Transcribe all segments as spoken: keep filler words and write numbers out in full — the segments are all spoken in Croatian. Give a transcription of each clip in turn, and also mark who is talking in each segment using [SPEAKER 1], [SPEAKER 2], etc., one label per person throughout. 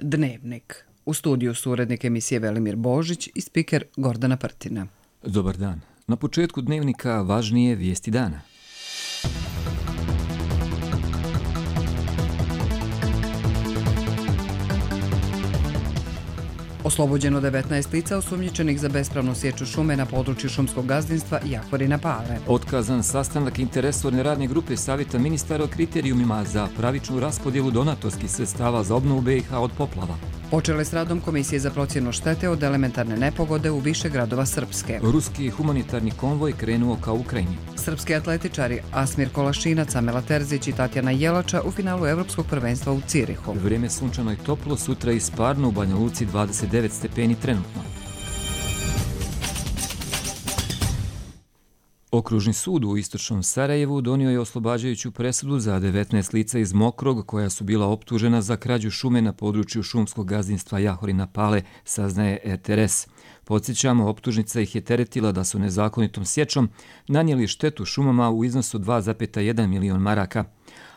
[SPEAKER 1] Dnevnik. U studiju su urednik emisije Velimir Božić i spiker Gordana Prtina.
[SPEAKER 2] Dobar dan. Na početku Dnevnika važnije vijesti dana.
[SPEAKER 1] Oslobođeno devetnaest lica osumnjičenih za bespravnu sječu šume na području šumskog gazdinstva Jahorina Pale.
[SPEAKER 2] Otkazan sastanak interesorne radne grupe Savjeta ministara o kriterijumima za pravičnu raspodjelu donatorskih sredstava za obnovu B i H od poplava.
[SPEAKER 1] Počele s radom Komisije za procjenu štete od elementarne nepogode u više gradova Srpske.
[SPEAKER 2] Ruski humanitarni konvoj krenuo ka Ukrajini.
[SPEAKER 1] Srpski atletičari Asmir Kolašinac, Amela Terzić i Tatjana Jelača u finalu Evropskog prvenstva u Cirihu.
[SPEAKER 2] Vrijeme sunčano i toplo, sutra i sparno, u Banja Luci dvadeset devet stepeni trenutno. Okružni sud u istočnom Sarajevu donio je oslobađajuću presudu za devetnaest lica iz Mokrog koja su bila optužena za krađu šume na području šumskog gazdinstva Jahorina Pale, saznaje R T R S. Podsjećamo, optužnica ih je teretila da su nezakonitom sječom nanijeli štetu šumama u iznosu dva zarez jedan milion maraka.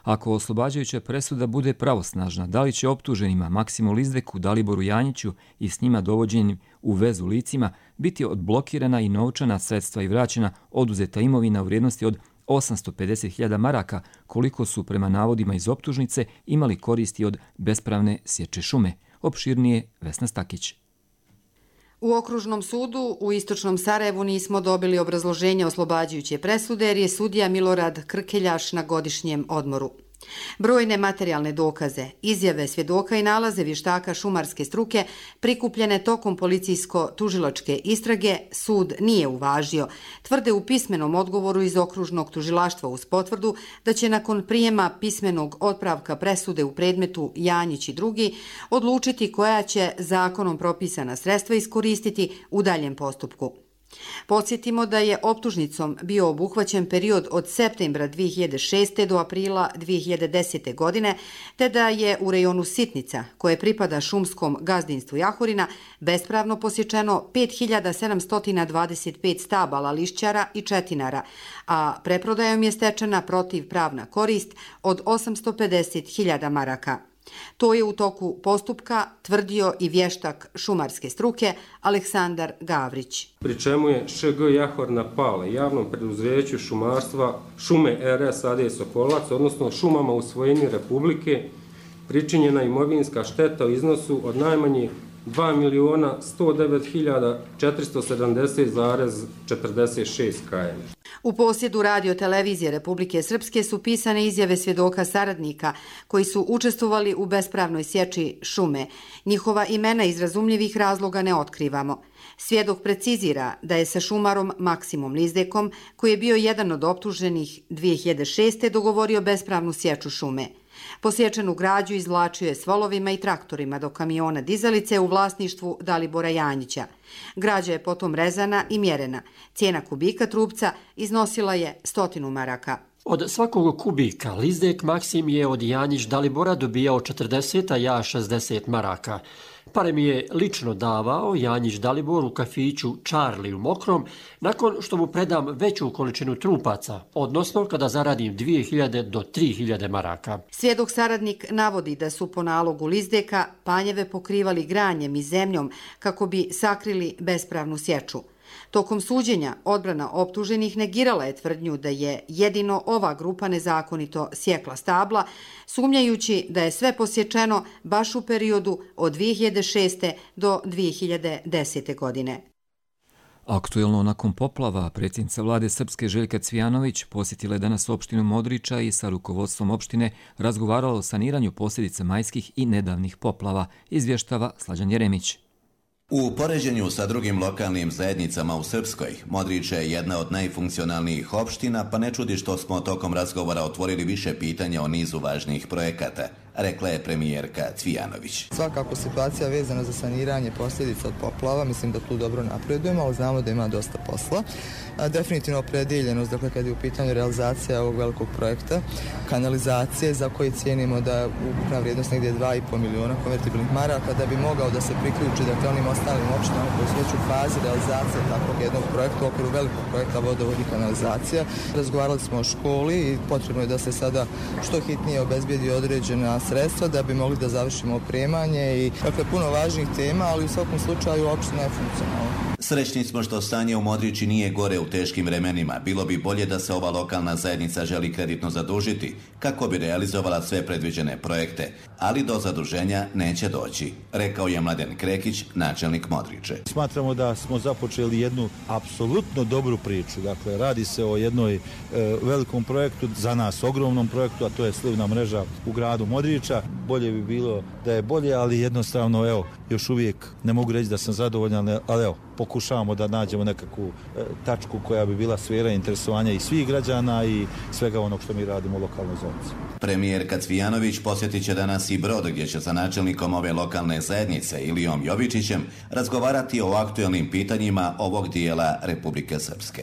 [SPEAKER 2] Ako oslobađajuća presuda bude pravosnažna, da li će optuženima Maksimu Lizdeku, Daliboru Janjiću i s njima dovođenim u vezu licima biti odblokirana i novčana sredstva i vraćena oduzeta imovina u vrijednosti od osamsto pedeset hiljada maraka, koliko su prema navodima iz optužnice imali koristi od bespravne sječe šume. Opširnije Vesna Stakić.
[SPEAKER 3] U Okružnom sudu u istočnom Sarajevu nismo dobili obrazloženje oslobađajuće presude jer je sudija Milorad Krkeljaš na godišnjem odmoru. Brojne materijalne dokaze, izjave svjedoka i nalaze vještaka šumarske struke prikupljene tokom policijsko-tužilačke istrage sud nije uvažio. Tvrde u pismenom odgovoru iz okružnog tužilaštva uz potvrdu da će nakon prijema pismenog otpravka presude u predmetu Janjić i drugi odlučiti koja će zakonom propisana sredstva iskoristiti u daljem postupku. Podsjetimo da je optužnicom bio obuhvaćen period od septembra dvije hiljade šeste. do aprila dvije hiljade desete. godine, te da je u rejonu Sitnica, koje pripada šumskom gazdinstvu Jahorina, bespravno posječeno pet hiljada sedamsto dvadeset pet stabala lišćara i četinara, a preprodajom je stečena protivpravna korist od osamsto pedeset hiljada maraka. To je u toku postupka tvrdio i vještak šumarske struke Aleksandar Gavrić.
[SPEAKER 4] Pri čemu je Š G Jahorina Pale javnom preduzeću šumarstva Šume R S A D Sokolac, odnosno šumama u svojini Republike, pričinjena imovinska šteta u iznosu od najmanje dva miliona sto devet hiljada četiristo sedamdeset zarez četrdeset šest km.
[SPEAKER 3] U posjedu radio televizije Republike Srpske su pisane izjave svjedoka saradnika koji su učestvovali u bespravnoj sječi šume. Njihova imena iz razumljivih razloga ne otkrivamo. Svjedok precizira da je sa šumarom Maksimom Lizdekom, koji je bio jedan od optuženih dvije hiljade šeste. dogovorio bespravnu sječu šume. Posječenu građu izvlačio je s volovima i traktorima do kamiona dizalice u vlasništvu Dalibora Janjića. Građa je potom rezana i mjerena. Cijena kubika trupca iznosila je stotinu maraka.
[SPEAKER 5] Od svakog kubika Lizdek Maksim je od Janjić Dalibora dobijao četrdeset, a ja šezdeset maraka. Pare mi je lično davao Janjić Dalibor u kafiću Charlie u Mokrom nakon što mu predam veću količinu trupaca, odnosno kada zaradim dvije hiljade do tri hiljade maraka.
[SPEAKER 3] Svjedok saradnik navodi da su po nalogu Lizdeka panjeve pokrivali granjem i zemljom kako bi sakrili bespravnu sječu. Tokom suđenja odbrana optuženih negirala je tvrdnju da je jedino ova grupa nezakonito sjekla stabla, sumnjajući da je sve posječeno baš u periodu od dvije hiljade šeste. do dvije hiljade desete. godine.
[SPEAKER 2] Aktuelno nakon poplava, predsjednica vlade Srpske Željka Cvijanović posjetila je danas opštinu Modriča i sa rukovodstvom opštine razgovarala o saniranju posljedica majskih i nedavnih poplava, izvještava Slađan Jeremić.
[SPEAKER 6] U poređenju sa drugim lokalnim zajednicama u Srpskoj, Modrić je jedna od najfunkcionalnijih opština, pa ne čudi što smo tokom razgovora otvorili više pitanja o nizu važnih projekata, rekla je premijerka Cvijanović.
[SPEAKER 7] Svakako situacija vezana za saniranje posljedica od poplava, mislim da tu dobro napredujemo, ali znamo da ima dosta posla. Definitivno opredeljenost, dakle kad je u pitanju realizacija ovog velikog projekta, kanalizacije za koje cijenimo da je ukupna vrijednost negdje dva i po miliona konvertibilnih maraka, da bi mogao da se priključi dakle onim ostalim opštinama koji su već u fazi realizacije takvog jednog projekta u okviru velikog projekta vodovod i kanalizacija. Razgovarali smo o školi i potrebno je da se sada što hitnije obezbijedi određena sredstva da bi mogli da završimo opremanje i dakle puno važnih tema, ali u svakom slučaju opština je funkcionalna.
[SPEAKER 6] Srećni smo što stanje u Modriči nije gore u teškim vremenima. Bilo bi bolje da se ova lokalna zajednica želi kreditno zadužiti kako bi realizovala sve predviđene projekte, ali do zaduženja neće doći, rekao je Mladen Krekić, načelnik Modriče.
[SPEAKER 8] Smatramo da smo započeli jednu apsolutno dobru priču. Dakle, radi se o jednoj e, velikom projektu, za nas ogromnom projektu, a to je slivna mreža u gradu Modriča. Bolje bi bilo da je bolje, ali jednostavno, evo, još uvijek ne mogu reći da sam zadovoljan, ali evo, pokušavamo da nađemo nekakvu e, tačku koja bi bila sfera interesovanja i svih građana i svega onog što mi radimo u lokalnoj zonici.
[SPEAKER 6] Premijer Kacvijanović posjetit će danas i Brod, gdje će sa načelnikom ove lokalne zajednice Ilijom Jovičićem razgovarati o aktuelnim pitanjima ovog dijela Republike Srpske.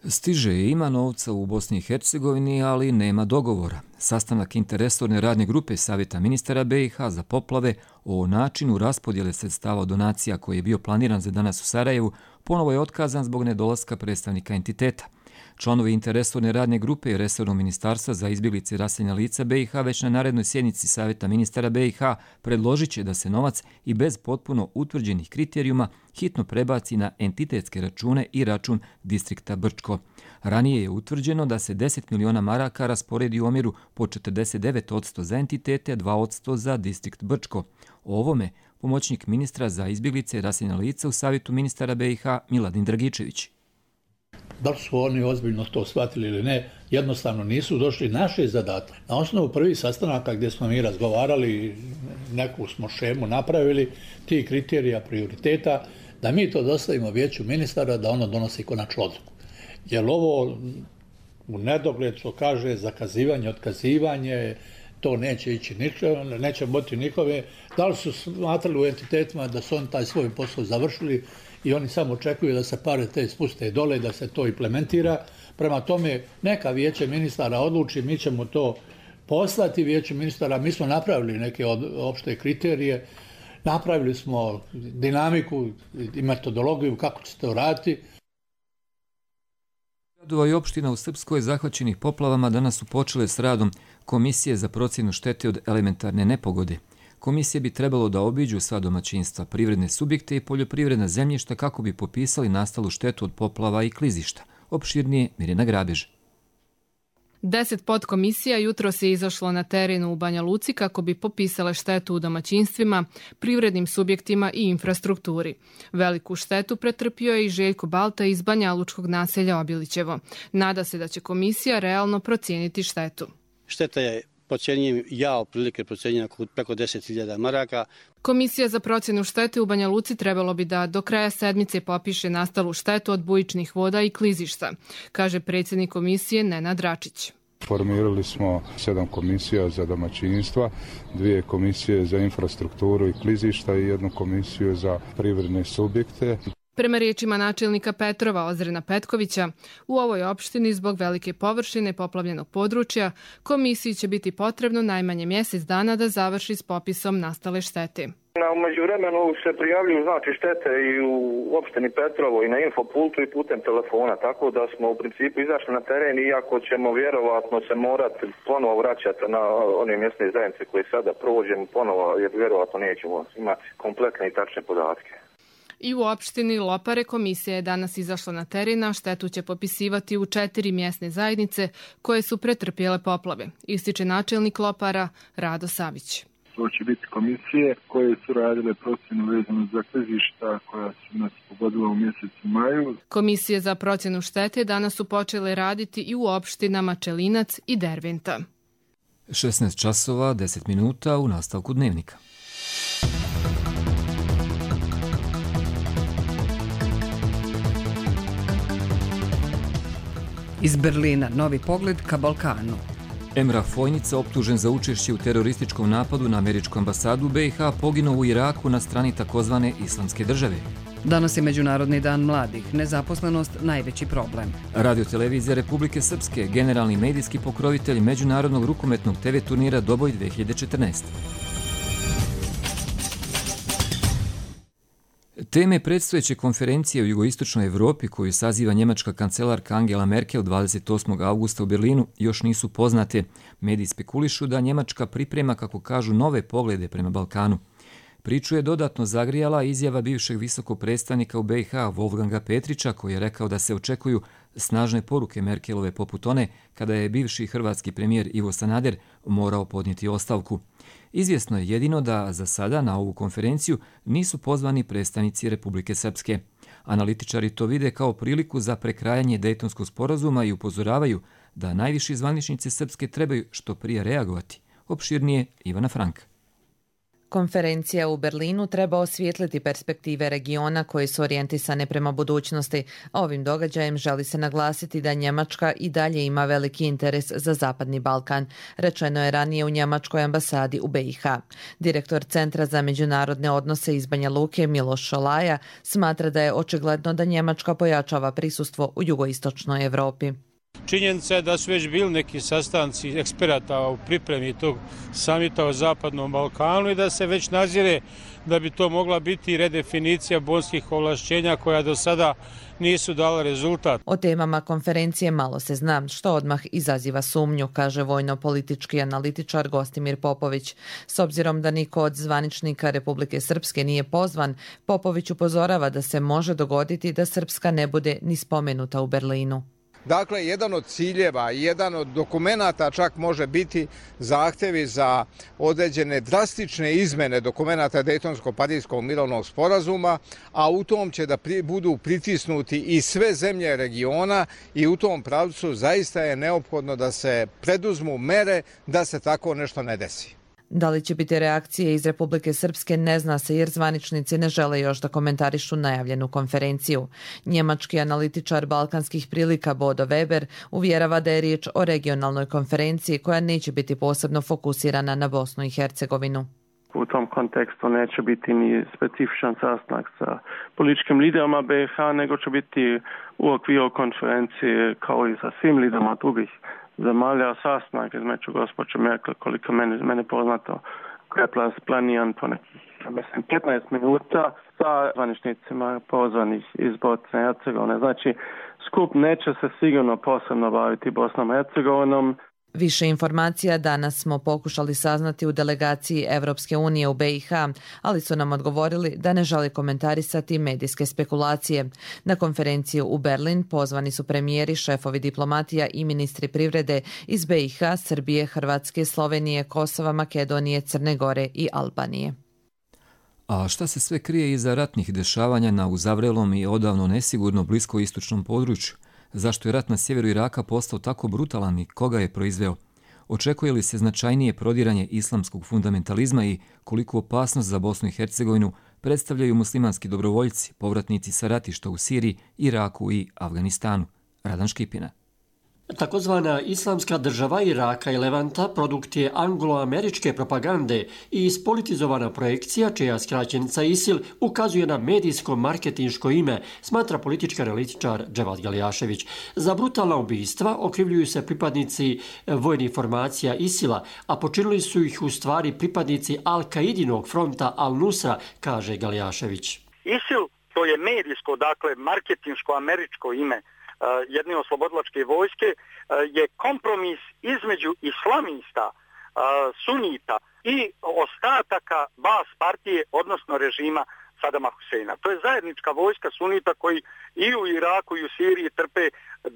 [SPEAKER 2] Stiže i ima novca u Bosni i Hercegovini, ali nema dogovora. Sastanak interresorne radne grupe Savjeta ministara B i H za poplave o načinu raspodjele sredstava donacija koji je bio planiran za danas u Sarajevu ponovo je otkazan zbog nedolaska predstavnika entiteta. Članovi interresorne radne grupe i resornog ministarstva za izbjeglice i raseljena lica B i H već na narednoj sjednici Savjeta ministara B i H predložit će da se novac i bez potpuno utvrđenih kriterijuma hitno prebaci na entitetske račune i račun distrikta Brčko. Ranije je utvrđeno da se deset miliona maraka rasporedi u omjeru po četrdeset devet posto za entitete, dva posto za distrikt Brčko. O ovome pomoćnik ministra za izbjeglice i raseljena lica u Savjetu ministara B i H Miladin Dragičević.
[SPEAKER 9] Da li su oni ozbiljno to shvatili ili ne, jednostavno nisu došli. Naš je zadatak. Na osnovu prvih sastanaka gdje smo mi razgovarali, neku smo šemu napravili, ti kriterija prioriteta, da mi to dostavimo vijeću ministara da ono donosi konačnu odluku. Jer ovo u nedogled što kaže zakazivanje, otkazivanje, to neće ići nikome, neće biti nikome. Da li su smatrali u entitetima da su oni taj svoj posao završili i oni samo očekuju da se pare te spuste dole, da se to implementira. Prema tome, neka vijeće ministara odluči, mi ćemo to poslati vijeću ministara. Mi smo napravili neke opšte kriterije, napravili smo dinamiku i metodologiju kako će se to raditi.
[SPEAKER 2] Gradova i opština u Srpskoj zahvaćenih poplavama danas su počele s radom Komisije za procjenu štete od elementarne nepogode. Komisije bi trebalo da obiđu sva domaćinstva, privredne subjekte i poljoprivredna zemljišta kako bi popisali nastalu štetu od poplava i klizišta. Opširnije Mirjana Grabež.
[SPEAKER 10] Deset podkomisija jutros je izašlo na terenu u Banja Luci kako bi popisale štetu u domaćinstvima, privrednim subjektima i infrastrukturi. Veliku štetu pretrpio je i Željko Balta iz Banja Lučkog naselja Obilićevo. Nada se da će komisija realno procijeniti štetu.
[SPEAKER 11] Šteta je, procjenjujem ja, otprilike procjenjena preko deset hiljada maraka.
[SPEAKER 10] Komisija za procjenu štete u Banja Luci trebalo bi da do kraja sedmice popiše nastalu štetu od bujičnih voda i klizišta, kaže predsjednik komisije Nenad Račić.
[SPEAKER 12] Formirali smo sedam komisija za domaćinstva, dvije komisije za infrastrukturu i klizišta i jednu komisiju za privredne subjekte.
[SPEAKER 10] Prema riječima načelnika Petrova Ozrena Petkovića, u ovoj opštini zbog velike površine poplavljenog područja komisiji će biti potrebno najmanje mjesec dana da završi s popisom nastale štete.
[SPEAKER 13] U međuvremenu se prijavljuju znači štete i u opštini Petrovo i na infopultu i putem telefona, tako da smo u principu izašli na teren, iako ćemo vjerovatno se morati ponovo vraćati na one mjesne zajednice koje sada provođemo ponovo, jer vjerovatno nećemo imati kompletne i tačne podatke.
[SPEAKER 10] I u opštini Lopare komisija je danas izašla na teren, a štetu će popisivati u četiri mjesne zajednice koje su pretrpjele poplave, ističe načelnik Lopara Rado Savić.
[SPEAKER 14] To će biti komisije koje su radile procjenu vezanu za klizišta koja su nas pogodila u mjesecu maju.
[SPEAKER 10] Komisije za procjenu štete danas su počele raditi i u opštinama Čelinac i Derventa.
[SPEAKER 2] šesnaest časova, deset minuta u nastavku dnevnika.
[SPEAKER 1] Iz Berlina novi pogled ka Balkanu.
[SPEAKER 2] Emrah Fojnica, optužen za učešće u terorističkom napadu na američku ambasadu B i H, poginuo u Iraku na strani takozvane Islamske države.
[SPEAKER 1] Danas je Međunarodni dan mladih, nezaposlenost najveći problem.
[SPEAKER 2] Radio-televizija Republike Srpske, generalni medijski pokrovitelj Međunarodnog rukometnog te ve turnira Doboj dve hiljade četrnaeste. Teme predstojeće konferencije u jugoistočnoj Evropi koju saziva njemačka kancelarka Angela Merkel dvadeset osmog avgusta u Berlinu još nisu poznate. Mediji spekulišu da Njemačka priprema, kako kažu, nove poglede prema Balkanu. Priču je dodatno zagrijala izjava bivšeg visokog predstavnika u B i H Wolfganga Petrića, koji je rekao da se očekuju snažne poruke Merkelove poput one kada je bivši hrvatski premijer Ivo Sanader morao podnijeti ostavku. Izvjesno je jedino da za sada na ovu konferenciju nisu pozvani predstavnici Republike Srpske. Analitičari to vide kao priliku za prekrajanje Dejtonskog sporazuma i upozoravaju da najviši zvaničnici Srpske trebaju što prije reagovati. Opširnije Ivana Franka.
[SPEAKER 15] Konferencija u Berlinu treba osvijetliti perspektive regiona koje su orijentisane prema budućnosti. Ovim događajem želi se naglasiti da Njemačka i dalje ima veliki interes za Zapadni Balkan. Rečeno je ranije u Njemačkoj ambasadi u B i H. Direktor Centra za međunarodne odnose iz Banja Luke Miloš Šolaja smatra da je očigledno da Njemačka pojačava prisustvo u jugoistočnoj Evropi.
[SPEAKER 16] Činjenica je da su već bili neki sastanci eksperata u pripremi tog samita o Zapadnom Balkanu i da se već nazire da bi to mogla biti redefinicija bonskih ovlašćenja koja do sada nisu dala rezultat.
[SPEAKER 15] O temama konferencije malo se zna, što odmah izaziva sumnju, kaže vojno-politički analitičar Gostimir Popović. S obzirom da niko od zvaničnika Republike Srpske nije pozvan, Popović upozorava da se može dogoditi da Srpska ne bude ni spomenuta u Berlinu.
[SPEAKER 17] Dakle, jedan od ciljeva i jedan od dokumenata čak može biti zahtjevi za određene drastične izmene dokumenata Dejtonsko-Pariskog mirovnog sporazuma, a u tom će da pri, budu pritisnuti i sve zemlje regiona i u tom pravcu zaista je neophodno da se preduzmu mere da se tako nešto ne desi.
[SPEAKER 15] Da li će biti reakcije iz Republike Srpske ne zna se jer zvaničnici ne žele još da komentarišu najavljenu konferenciju. Njemački analitičar balkanskih prilika Bodo Weber uvjerava da je riječ o regionalnoj konferenciji koja neće biti posebno fokusirana na Bosnu i Hercegovinu.
[SPEAKER 18] U tom kontekstu neće biti ni specifičan sastanak sa političkim liderima B i H, nego će biti u okviru konferencije kao i sa svim liderima drugih zemalja sastanak između gospođe Merkel, koliko mene, mene poznato, koji je planiran po nekih, mislim, petnaest minuta sa zvaničnicima pozvanih iz Bosne i Hercegovine. Znači, skup neće se sigurno posebno baviti Bosnom i Hercegovinom.
[SPEAKER 15] Više informacija danas smo pokušali saznati u delegaciji Evropske unije u B i H, ali su nam odgovorili da ne žele komentarisati medijske spekulacije. Na konferenciju u Berlin pozvani su premijeri, šefovi diplomatija i ministri privrede iz B i H, Srbije, Hrvatske, Slovenije, Kosova, Makedonije, Crne Gore i Albanije.
[SPEAKER 2] A šta se sve krije iza ratnih dešavanja na uzavrelom i odavno nesigurno bliskoistočnom području? Zašto je rat na sjeveru Iraka postao tako brutalan i koga je proizveo? Očekuje li se značajnije prodiranje islamskog fundamentalizma i koliko opasnost za Bosnu i Hercegovinu predstavljaju muslimanski dobrovoljci, povratnici sa ratišta u Siriji, Iraku i Afganistanu? Radan Škipina.
[SPEAKER 5] Takozvana islamska država Iraka i Levanta produkt je anglo-američke propagande i ispolitizovana projekcija čija skraćenica ISIL ukazuje na medijsko-marketinško ime, smatra politički analitičar Dževad Galjašević. Za brutalna ubistva okrivljuju se pripadnici vojnih formacija ISIL-a, a počinili su ih u stvari pripadnici Al-Kaidinog fronta Al-Nusra, kaže Galjašević.
[SPEAKER 19] ISIL, to je medijsko, dakle, marketinško američko ime jedne oslobodilačke vojske, je kompromis između islamista, sunita i ostataka Baas partije, odnosno režima Sadama Huseina. To je zajednička vojska sunita koji i u Iraku i u Siriji trpe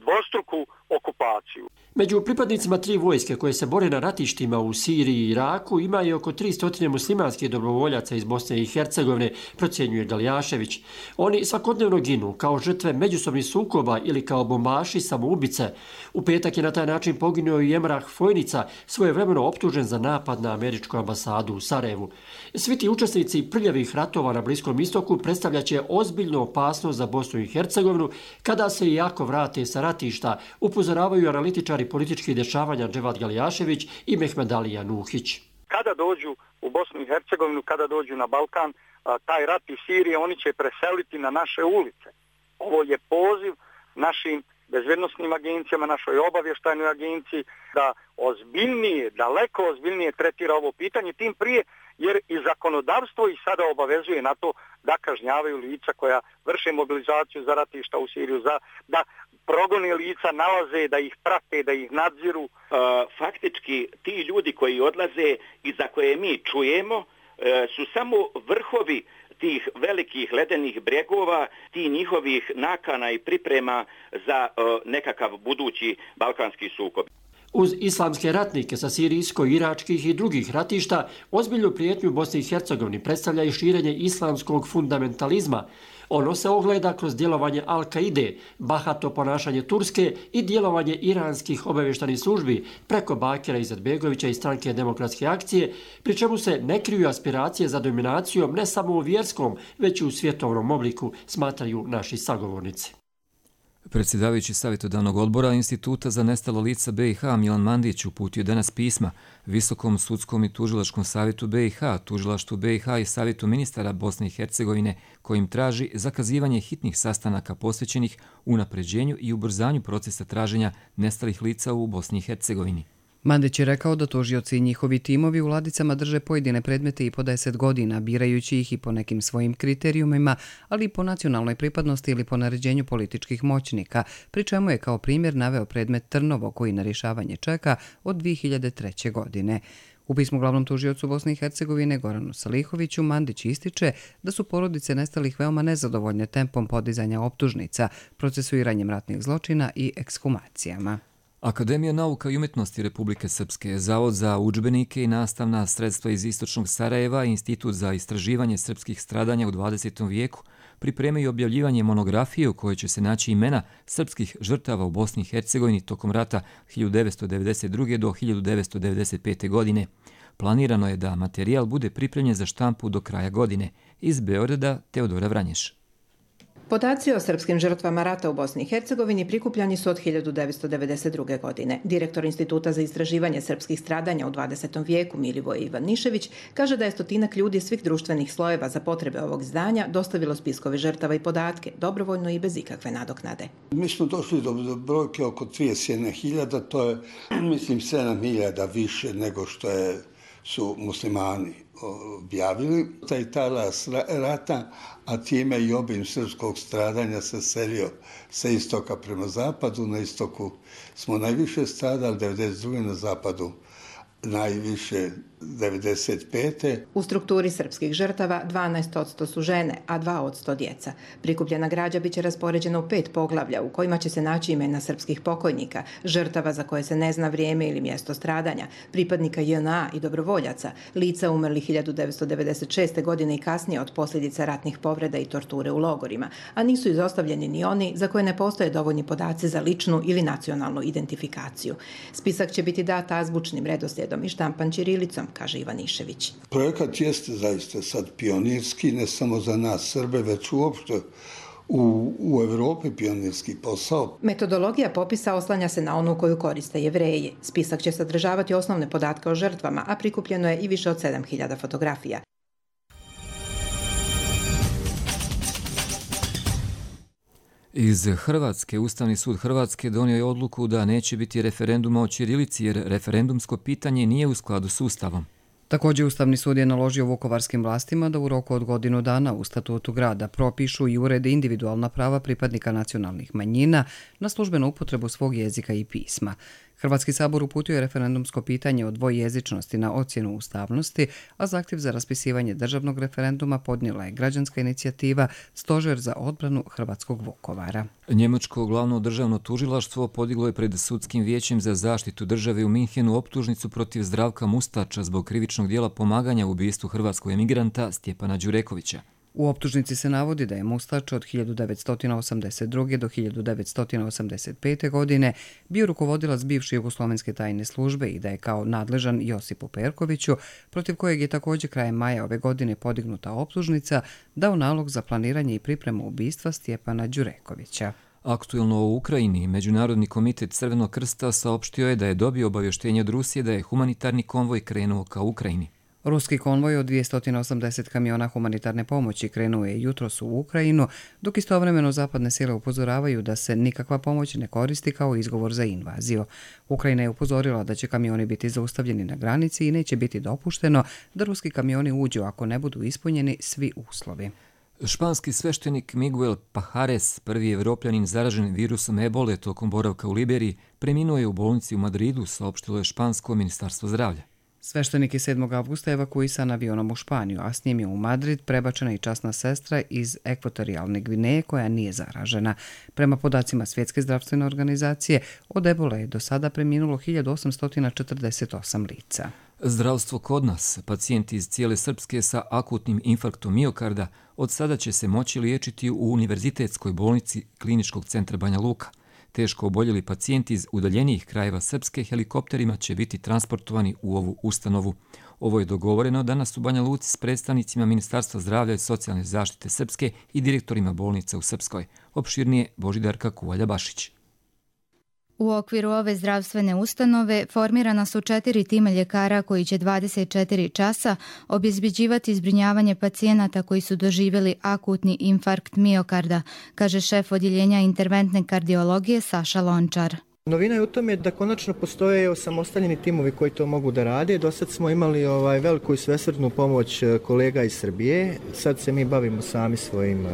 [SPEAKER 19] dvostruku okupaciju.
[SPEAKER 5] Među pripadnicima tri vojske koje se bore na ratištima u Siriji i Iraku ima i oko tristo muslimanskih dobrovoljaca iz Bosne i Hercegovine, procjenjuje Galjašević. Oni svakodnevno ginu kao žrtve međusobnih sukoba ili kao bombaši samoubice. U petak je na taj način poginuo i Emrah Fojnica, svojevremeno optužen za napad na američku ambasadu u Sarajevu. Svi ti učesnici prljavih ratova na Bliskom istoku predstavljaće ozbiljnu opasnost za Bosnu i Hercegovinu kada se i jako vrate sa ratišta, upozoravaju analitičari političkih dešavanja Dževad Galjašević i Mehmedalija Nuhić.
[SPEAKER 19] Kada dođu u Bosnu i Hercegovinu, kada dođu na Balkan, taj rat iz Sirije, oni će preseliti na naše ulice. Ovo je poziv našim bezbednosnim agencijama, našoj obavještajnoj agenciji da ozbiljnije, daleko ozbiljnije tretira ovo pitanje, tim prije jer i zakonodavstvo ih sada obavezuje na to da kažnjavaju lica koja vrše mobilizaciju za ratišta u Siriju, za, da progone lica, nalaze, da ih prate, da ih nadziru.
[SPEAKER 20] Uh, faktički ti ljudi koji odlaze i za koje mi čujemo uh, su samo vrhovi tih velikih ledenih bregova, ti njihovih nakana i priprema za uh, nekakav budući balkanski sukob.
[SPEAKER 5] Uz islamske ratnike sa sirijsko-iračkih i drugih ratišta, ozbiljnu prijetnju Bosni i Hercegovini predstavlja i širenje islamskog fundamentalizma. Ono se ogleda kroz djelovanje Al-Kaide, bahato ponašanje Turske i djelovanje iranskih obavještajnih službi preko Bakira Izetbegovića i stranke Demokratske akcije, pri čemu se ne kriju aspiracije za dominacijom ne samo u vjerskom, već i u svjetovnom obliku, smatraju naši sagovornici.
[SPEAKER 2] Predsjedavajući savjetodavnog odbora Instituta za nestala lica B i H Milan Mandić uputio danas pisma Visokom sudskom i tužilačkom savjetu B i H, tužilaštvu B i H i savjetu ministara Bosne i Hercegovine, kojim traži zakazivanje hitnih sastanaka posvećenih unapređenju i ubrzanju procesa traženja nestalih lica u Bosni i Hercegovini.
[SPEAKER 1] Mandić je rekao da tužioci i njihovi timovi u ladicama drže pojedine predmete i po deset godina, birajući ih i po nekim svojim kriterijumima, ali i po nacionalnoj pripadnosti ili po naređenju političkih moćnika, pri čemu je kao primjer naveo predmet Trnovo koji na rješavanje čeka od dvije hiljade treće. godine. U pismu glavnom tužiocu Bosne i Hercegovine Goranu Salihoviću Mandić ističe da su porodice nestalih veoma nezadovoljne tempom podizanja optužnica, procesuiranjem ratnih zločina i ekshumacijama.
[SPEAKER 2] Akademija nauka i umjetnosti Republike Srpske, Zavod za udžbenike i nastavna sredstva iz istočnog Sarajeva i Institut za istraživanje srpskih stradanja u dvadesetom vijeku pripremaju objavljivanje monografije u kojoj će se naći imena srpskih žrtava u Bosni i Hercegovini tokom rata hiljadu devetsto devedeset druge. do hiljadu devetsto devedeset pete. godine. Planirano je da materijal bude pripremljen za štampu do kraja godine. Iz Beograda Teodora Vranješ.
[SPEAKER 21] Podaci o srpskim žrtvama rata u Bosni i Hercegovini prikupljani su od hiljadu devetsto devedeset druge. godine. Direktor Instituta za istraživanje srpskih stradanja u dvadesetom vijeku Milivoje Ivanišević kaže da je stotinak ljudi svih društvenih slojeva za potrebe ovog izdanja dostavilo spiskove žrtava i podatke, dobrovoljno i bez ikakve nadoknade.
[SPEAKER 22] Mi smo došli do brojke oko trideset jedna hiljada, to je mislim sedam hiljada više nego što je, su muslimani objavili. Taj talas rata, a time i obim srpskog stradanja se selio sa istoka prema zapadu. Na istoku smo najviše stradali, devedeset druge. na zapadu najviše devedeset pete.
[SPEAKER 21] U strukturi srpskih žrtava dvanaest posto su žene, a dva posto djeca. Prikupljena građa biće raspoređena u pet poglavlja u kojima će se naći imena srpskih pokojnika, žrtava za koje se ne zna vrijeme ili mjesto stradanja, pripadnika J N A i dobrovoljaca, lica umrli hiljadu devetsto devedeset šeste. godine i kasnije od posljedica ratnih povreda i torture u logorima, a nisu izostavljeni ni oni za koje ne postoje dovoljni podaci za ličnu ili nacionalnu identifikaciju. Spisak će biti dat azbučnim redoslijedom i štampan ćirilicom, kaže Ivanišević.
[SPEAKER 22] Projekat jeste zaista sad pionirski, ne samo za nas Srbe, već uopšte u, u Evropi pionirski posao.
[SPEAKER 21] Metodologija popisa oslanja se na onu koju koriste Jevreji. Spisak će sadržavati osnovne podatke o žrtvama, a prikupljeno je i više od sedam hiljada fotografija.
[SPEAKER 2] Iz Hrvatske, Ustavni sud Hrvatske donio je odluku da neće biti referenduma o ćirilici jer referendumsko pitanje nije u skladu s Ustavom.
[SPEAKER 1] Također, Ustavni sud je naložio vukovarskim vlastima da u roku od godinu dana u statutu grada propišu i urede individualna prava pripadnika nacionalnih manjina na službenu upotrebu svog jezika i pisma. Hrvatski sabor uputio je referendumsko pitanje o dvojezičnosti na ocjenu ustavnosti, a zahtjev za raspisivanje državnog referenduma podnijela je građanska inicijativa Stožer za odbranu hrvatskog Vukovara.
[SPEAKER 2] Njemačko glavno državno tužilaštvo podiglo je pred sudskim vijećem za zaštitu države u Minhenu optužnicu protiv Zdravka Mustača zbog krivičnog dijela pomaganja u ubistvu hrvatskog emigranta Stjepana Đurekovića.
[SPEAKER 1] U optužnici se navodi da je Mustač od hiljadu devetsto osamdeset druge. do hiljadu devetsto osamdeset pete. godine bio rukovodilac bivše jugoslovenske tajne službe i da je kao nadležan Josipu Perkoviću, protiv kojeg je također krajem maja ove godine podignuta optužnica, dao nalog za planiranje i pripremu ubistva Stjepana Đurekovića.
[SPEAKER 2] Aktuelno u Ukrajini, Međunarodni komitet Crvenog krsta saopštio je da je dobio obavještenje od Rusije da je humanitarni konvoj krenuo ka Ukrajini.
[SPEAKER 1] Ruski konvoj od dvjesto osamdeset kamiona humanitarne pomoći krenuo je jutros u Ukrajinu, dok istovremeno zapadne sile upozoravaju da se nikakva pomoć ne koristi kao izgovor za invaziju. Ukrajina je upozorila da će kamioni biti zaustavljeni na granici i neće biti dopušteno da ruski kamioni uđu ako ne budu ispunjeni svi uslovi.
[SPEAKER 2] Španski sveštenik Miguel Pajares, prvi evropljanin zaražen virusom ebole tokom boravka u Liberiji, preminuo je u bolnici u Madridu, saopštilo je špansko ministarstvo zdravlja.
[SPEAKER 1] Sveštenik je sedmog avgusta evakuisan avionom u Španiju, a s njim je u Madrid prebačena i časna sestra iz ekvatorijalne Gvineje koja nije zaražena. Prema podacima Svjetske zdravstvene organizacije, od ebole je do sada preminulo hiljadu osamsto četrdeset osam lica.
[SPEAKER 2] Zdravstvo kod nas, pacijenti iz cijele Srpske sa akutnim infarktom miokarda od sada će se moći liječiti u Univerzitetskoj bolnici Kliničkog centra Banja Luka. Teško oboljeli pacijenti iz udaljenijih krajeva Srpske helikopterima će biti transportovani u ovu ustanovu. Ovo je dogovoreno danas u Banja Luci s predstavnicima Ministarstva zdravlja i socijalne zaštite Srpske i direktorima bolnica u Srpskoj. Opširnije Božidarka Kuvalja-Bašić.
[SPEAKER 3] U okviru ove zdravstvene ustanove formirana su četiri tima ljekara koji će dvadeset četiri časa obezbeđivati zbrinjavanje pacijenata koji su doživjeli akutni infarkt miokarda, kaže šef odjeljenja interventne kardiologije Saša Lončar.
[SPEAKER 4] Novina je u tome da konačno postoje osamostaljeni timovi koji to mogu da rade. Do sad smo imali ovaj veliku i svesrdnu pomoć kolega iz Srbije. Sad se mi bavimo sami svojim uh,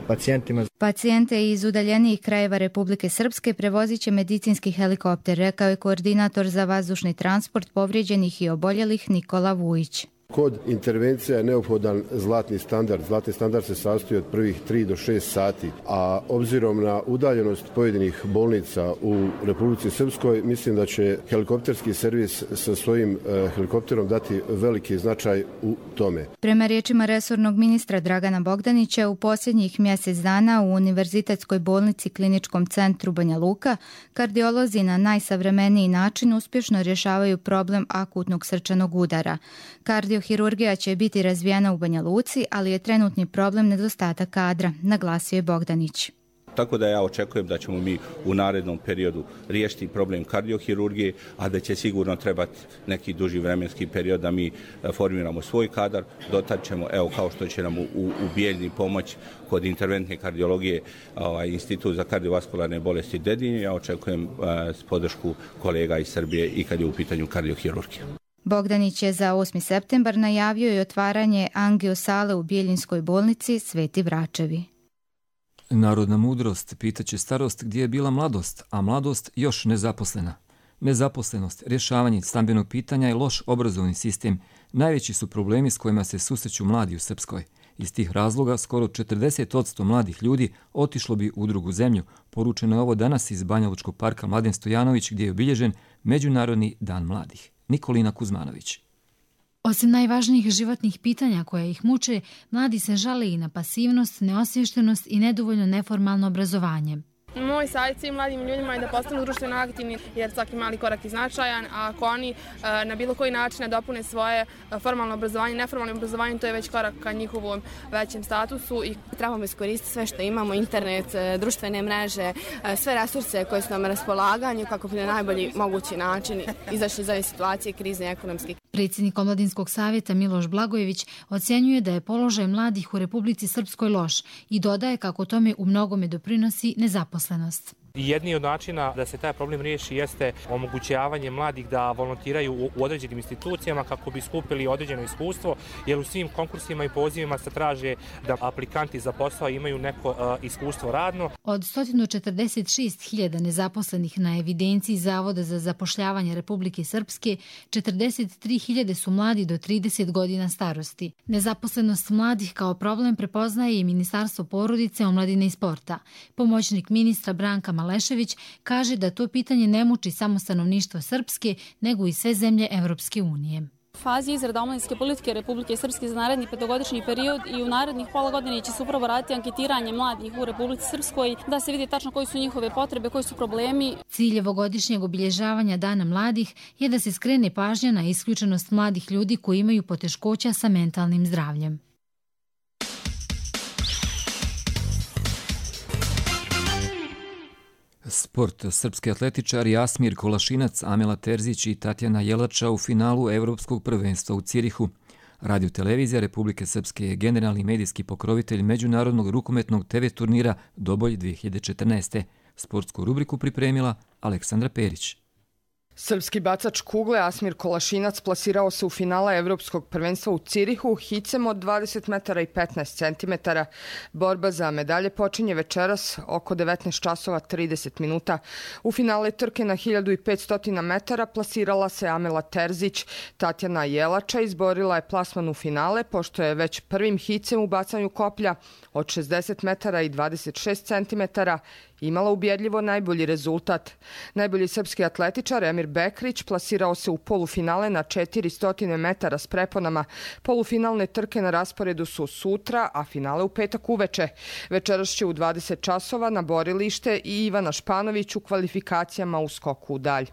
[SPEAKER 4] pacijentima.
[SPEAKER 3] Pacijente iz udaljenijih krajeva Republike Srpske prevozit će medicinski helikopter, rekao je koordinator za vazdušni transport povrijeđenih i oboljelih Nikola Vujić.
[SPEAKER 23] Kod intervencija je neophodan zlatni standard. Zlatni standard se sastoji od prvih tri do šest sati, a obzirom na udaljenost pojedinih bolnica u Republici Srpskoj, mislim da će helikopterski servis sa svojim uh, helikopterom dati veliki značaj u tome.
[SPEAKER 3] Prema riječima resornog ministra Dragana Bogdanića, u posljednjih mjesec dana u Univerzitetskoj bolnici Kliničkom centru Banja Luka kardiolozi na najsavremeniji način uspješno rješavaju problem akutnog srčanog udara. Kardiohirurgija će biti razvijena u Banja Luci, ali je trenutni problem nedostatak kadra, naglasio je Bogdanić.
[SPEAKER 24] Tako da ja očekujem da ćemo mi u narednom periodu riješiti problem kardiohirurgije, a da će sigurno trebati neki duži vremenski period da mi formiramo svoj kadar. Dotad ćemo, evo kao što će nam u, u Bijeljni pomoć kod interventne kardiologije ovaj, Institut za kardiovaskularne bolesti Dedinje, ja očekujem eh, podršku kolega iz Srbije i kad je u pitanju kardiohirurgija.
[SPEAKER 3] Bogdanić je za osmi septembar najavio i otvaranje angiosale u Bijeljinskoj bolnici Sveti Vračevi.
[SPEAKER 2] Narodna mudrost pitaće starost gdje je bila mladost, a mladost još nezaposlena. Nezaposlenost, rješavanje stambenog pitanja i loš obrazovni sistem najveći su problemi s kojima se susreću mladi u Srpskoj. Iz tih razloga skoro četrdeset posto mladih ljudi otišlo bi u drugu zemlju. Poručeno je ovo danas iz Banjalučkog parka Mladen Stojanović gdje je obilježen Međunarodni dan mladih. Nikolina Kuzmanović.
[SPEAKER 25] Osim najvažnijih životnih pitanja koje ih muče, mladi se žale i na pasivnost, neosviještenost i nedovoljno neformalno obrazovanje.
[SPEAKER 26] Moj savjet svim mladim ljudima je da postanu društveno aktivni jer svaki mali korak je značajan, a ako oni na bilo koji način dopune svoje formalno obrazovanje, neformalno obrazovanje, to je već korak ka njihovom većem statusu. I
[SPEAKER 27] trebamo iskoristiti sve što imamo, internet, društvene mreže, sve resurse koje su nam na raspolaganju kako bi na najbolji mogući način izašli iz ove situacije krizne ekonomske.
[SPEAKER 25] Predsjednik Omladinskog savjeta Miloš Blagojević ocjenjuje da je položaj mladih u Republici Srpskoj loš i dodaje kako tome u mnogome doprinosi nezaposlenost.
[SPEAKER 28] Jedni od načina da se taj problem riješi jeste omogućavanje mladih da volontiraju u određenim institucijama kako bi skupili određeno iskustvo, jer u svim konkursima i pozivima se traže da aplikanti za posao imaju neko uh, iskustvo radno.
[SPEAKER 25] Od sto četrdeset šest hiljada nezaposlenih na evidenciji Zavoda za zapošljavanje Republike Srpske, četrdeset tri hiljade su mladi do trideset godina starosti. Nezaposlenost mladih kao problem prepoznaje i Ministarstvo porodice, omladine i sporta. Pomoćnik ministra Branka Malešević kaže da to pitanje ne muči samo stanovništvo Srpske, nego i sve zemlje Evropske unije.
[SPEAKER 29] Fazi izrada omladinske politike Republike Srpske za naredni petogodišnji period i u narednih pola godine će se upravo raditi anketiranje mladih u Republici Srpskoj da se vidi tačno koji su njihove potrebe, koji su problemi.
[SPEAKER 25] Cilj ovogodišnjeg obilježavanja Dana mladih je da se skrene pažnja na isključenost mladih ljudi koji imaju poteškoća sa mentalnim zdravljem.
[SPEAKER 2] Sport. Srpski atletičari Asmir Kolašinac, Amela Terzić i Tatjana Jelača u finalu Evropskog prvenstva u Cirihu. Radio televizija Republike Srpske je generalni medijski pokrovitelj međunarodnog rukometnog te ve turnira Doboj dvije hiljade četrnaeste. Sportsku rubriku pripremila Aleksandra Perić.
[SPEAKER 6] Srpski bacač kugle Asmir Kolašinac plasirao se u finale Evropskog prvenstva u Cirihu hicem od dvadeset metara i petnaest centimetara. Borba za medalje počinje večeras oko devetnaest časova trideset minuta. U finale trke na hiljadu petsto metara plasirala se Amela Terzić. Tatjana Jelača izborila je plasman u finale pošto je već prvim hicem u bacanju koplja od šezdeset metara i dvadeset šest centimetara imala ubjedljivo najbolji rezultat. Najbolji srpski atletičar Emir Bekrić plasirao se u polufinale na četiristo metara s preponama. Polufinalne trke na rasporedu su sutra, a finale u petak uveče. Večeras će u dvadeset časova na borilište i Ivana Španović u kvalifikacijama u skoku u dalj.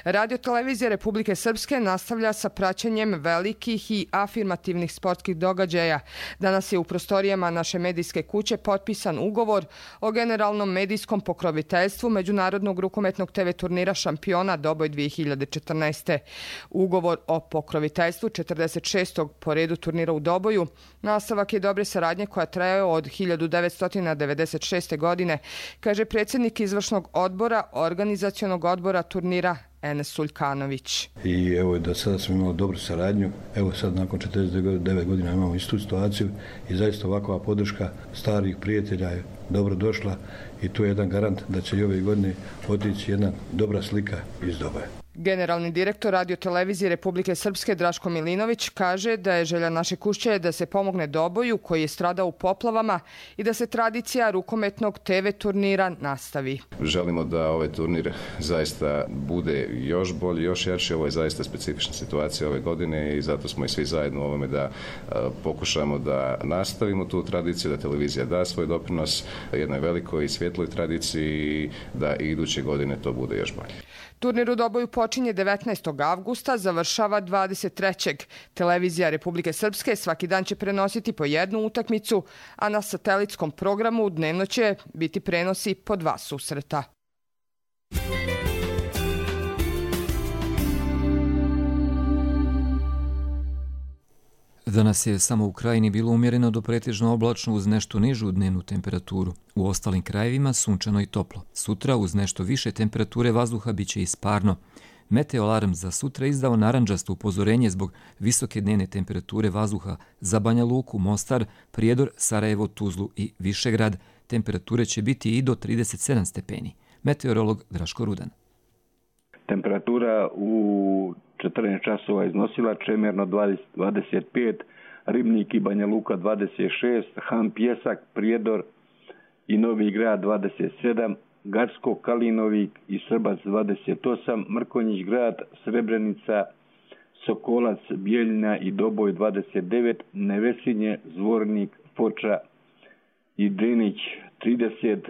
[SPEAKER 6] Radio televizija Republike Srpske nastavlja sa praćenjem velikih i afirmativnih sportskih događaja. Danas je u prostorijama naše medijske kuće potpisan ugovor o generalnom medijskom pokroviteljstvu Međunarodnog rukometnog te ve turnira šampiona Doboj dvije hiljade četrnaeste. Ugovor o pokroviteljstvu četrdeset šestog po redu turnira u Doboju nastavak je dobre saradnje koja traje od hiljadu devetsto devedeset šeste. godine, kaže predsjednik izvršnog odbora organizacionog odbora turnira Enes Suljkanović.
[SPEAKER 7] I evo da sada smo imali dobru saradnju, evo sad nakon četrdeset devet godina imamo istu situaciju i zaista ovakva podrška starih prijatelja je dobro došla i tu je jedan garant da će i ove godine otići jedna dobra slika iz Doboja.
[SPEAKER 6] Generalni direktor Radio televizije Republike Srpske Draško Milinović kaže da je želja naše kuće da se pomogne Doboju koji je stradao u poplavama i da se tradicija rukometnog te ve turnira nastavi.
[SPEAKER 8] Želimo da ovaj turnir zaista bude još bolji, još jači. Ovo je zaista specifična situacija ove godine i zato smo i svi zajedno u ovome da pokušamo da nastavimo tu tradiciju, da televizija da svoj doprinos jednoj velikoj i svjetloj tradiciji i da i iduće godine to bude još bolje.
[SPEAKER 6] Turnir u Doboju počinje devetnaestog avgusta, završava dvadeset trećeg Televizija Republike Srpske svaki dan će prenositi po jednu utakmicu, a na satelitskom programu dnevno će biti prenosi po dva susreta.
[SPEAKER 2] Danas je samo u krajini bilo umjereno do pretežno oblačno uz nešto nižu dnevnu temperaturu. U ostalim krajevima sunčano i toplo. Sutra uz nešto više temperature vazduha bit će i sparno. Meteoalarm za sutra izdao narandžasto upozorenje zbog visoke dnevne temperature vazduha za Banja Luku, Mostar, Prijedor, Sarajevo, Tuzlu i Višegrad. Temperature će biti i do trideset sedam stepeni. Meteorolog Draško Rudan.
[SPEAKER 9] Temperatura u četrnaest časova iznosila čemerno dvadeset pet, Ribnik i Banja Luka dvadeset šest, Han Pjesak, Prijedor i Novi Grad dvadeset sedam, Garsko, Kalinovik i Srbac dvadeset osam, Mrkonjić Grad, Srebrenica, Sokolac, Bijeljina i Doboj dvadeset devet, Nevesinje, Zvornik, Foča i Drinić trideset,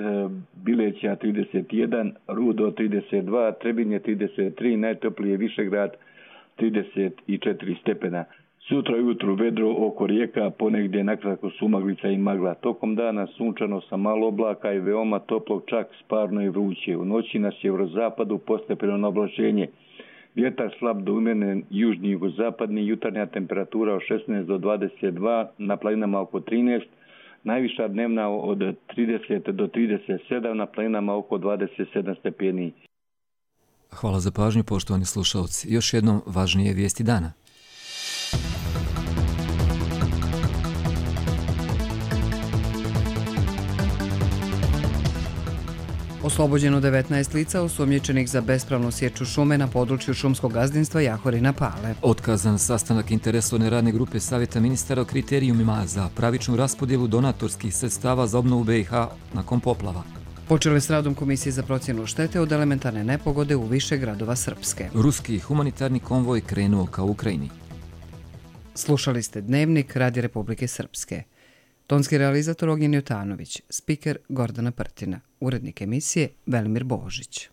[SPEAKER 9] Bileća trideset jedan, Rudo trideset dva, Trebinje trideset tri, najtoplije Višegrad trideset četiri stepena. Sutra ujutru vedro oko rijeka, ponegdje nakratko sumaglica i magla. Tokom dana sunčano sa malo oblaka i veoma toplo, čak sparno i vruće. U noći na sjeverozapadu postepeno oblačenje. Vjetar slab do umjeren južni jugozapadni, jutarnja temperatura od šesnaest do dvadeset dva, na planinama oko trinaest, najviša dnevna od trideset do trideset sedam, na planinama oko dvadeset sedam stepeni.
[SPEAKER 2] Hvala za pažnju, poštovani slušalci. Još jednom važnije vijesti dana.
[SPEAKER 1] Oslobođeno devetnaest lica osumnjičenih za bespravnu sječu šume na području šumskog gazdinstva Jahorina Pale.
[SPEAKER 2] Otkazan sastanak interesovne radne grupe Savjeta ministara o kriterijumima za pravičnu raspodjelu donatorskih sredstava za obnovu be i ha nakon poplava.
[SPEAKER 1] Počeli s radom Komisije za procjenu štete od elementarne nepogode u više gradova Srpske.
[SPEAKER 2] Ruski humanitarni konvoj krenuo ka Ukrajini.
[SPEAKER 1] Slušali ste Dnevnik Radija Republike Srpske. Tonski realizator Ognjen Jotanović, spiker Gordana Prtina, urednik emisije Velimir Božić.